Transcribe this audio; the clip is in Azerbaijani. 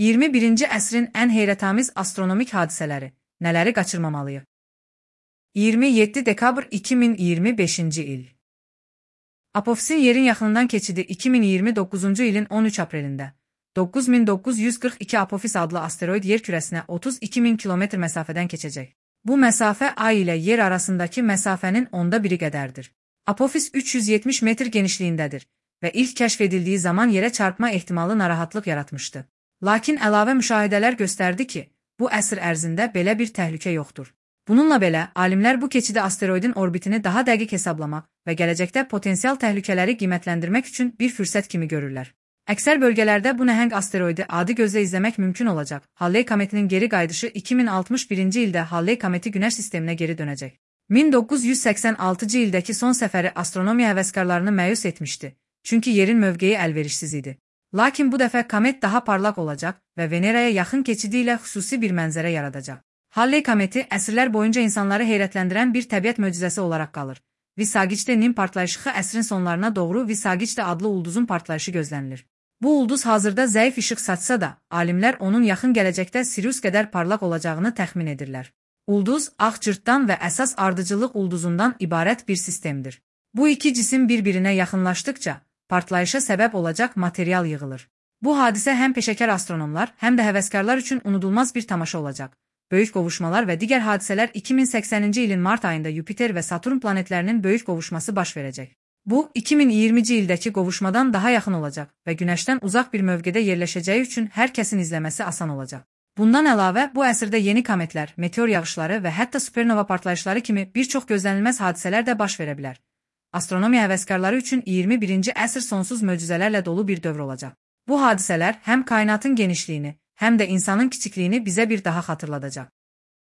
21-ci əsrin ən heyrətamiz astronomik hadisələri, nələri qaçırmamalıyıq? 27 dekabr 2025-ci il. Apofisin yerin yaxınından keçidi 2029-cu ilin 13 aprelində 9942 Apofis adlı asteroid yer kürəsinə 32.000 kilometr məsafədən keçəcək. Bu məsafə Ay ilə yer arasındakı məsafənin onda biri qədərdir. Apofis 370 metr genişliyindədir və ilk kəşf edildiyi zaman yerə çarpma ehtimalı narahatlıq yaratmışdı. Lakin əlavə müşahidələr göstərdi ki, bu əsr ərzində belə bir təhlükə yoxdur. Bununla belə, alimlər bu keçidi asteroidin orbitini daha dəqiq hesablamaq və gələcəkdə potensial təhlükələri qiymətləndirmək üçün bir fürsət kimi görürlər. Əksər bölgələrdə bu nəhəng asteroidi adi gözlə izləmək mümkün olacaq. Halley kometinin geri qayıdışı 2061-ci ildə Halley kometi Günəş sisteminə geri dönəcək. 1986-cı ildəki son səfəri astronomiya həvəskarlarını məyus etmişdi, çünki yerin mövqeyi əlverişsiz idi. Lakin bu dəfə komet daha parlaq olacaq və Veneraya yaxın keçidi ilə xüsusi bir mənzərə yaradacaq. Halley kometi əsrlər boyunca insanları heyrətləndirən bir təbiət möcüzəsi olaraq qalır. Visagiçdə-Nim partlayışı əsrin sonlarına doğru Visagiçdə adlı ulduzun partlayışı gözlənilir. Bu ulduz hazırda zəif işıq saçsa da, alimlər onun yaxın gələcəkdə Sirius qədər parlaq olacağını təxmin edirlər. Ulduz, ağ cırtdan və əsas ardıcıllıq ulduzundan ibarət bir sistemdir. Bu iki cisim bir-birinə yaxınlaşdıkca, partlayışa səbəb olacaq material yığılır. Bu hadisə həm peşəkar astronomlar, həm də həvəskarlar üçün unudulmaz bir tamaşa olacaq. Böyük qovuşmalar və digər hadisələr 2080-ci ilin mart ayında Yupiter və Saturn planetlərinin böyük qovuşması baş verəcək. Bu, 2020-ci ildəki qovuşmadan daha yaxın olacaq və Günəşdən uzaq bir mövqedə yerləşəcəyi üçün hər kəsin izləməsi asan olacaq. Bundan əlavə, bu əsrdə yeni kometlər, meteor yağışları və hətta supernova partlayışları kimi bir çox gözlənilməz hadisələr də baş verə bilər. Astronomiya həvəskarları üçün 21-ci əsr sonsuz möcüzələrlə dolu bir dövr olacaq. Bu hadisələr həm kainatın genişliyini, həm də insanın kiçikliyini bizə bir daha xatırladacaq.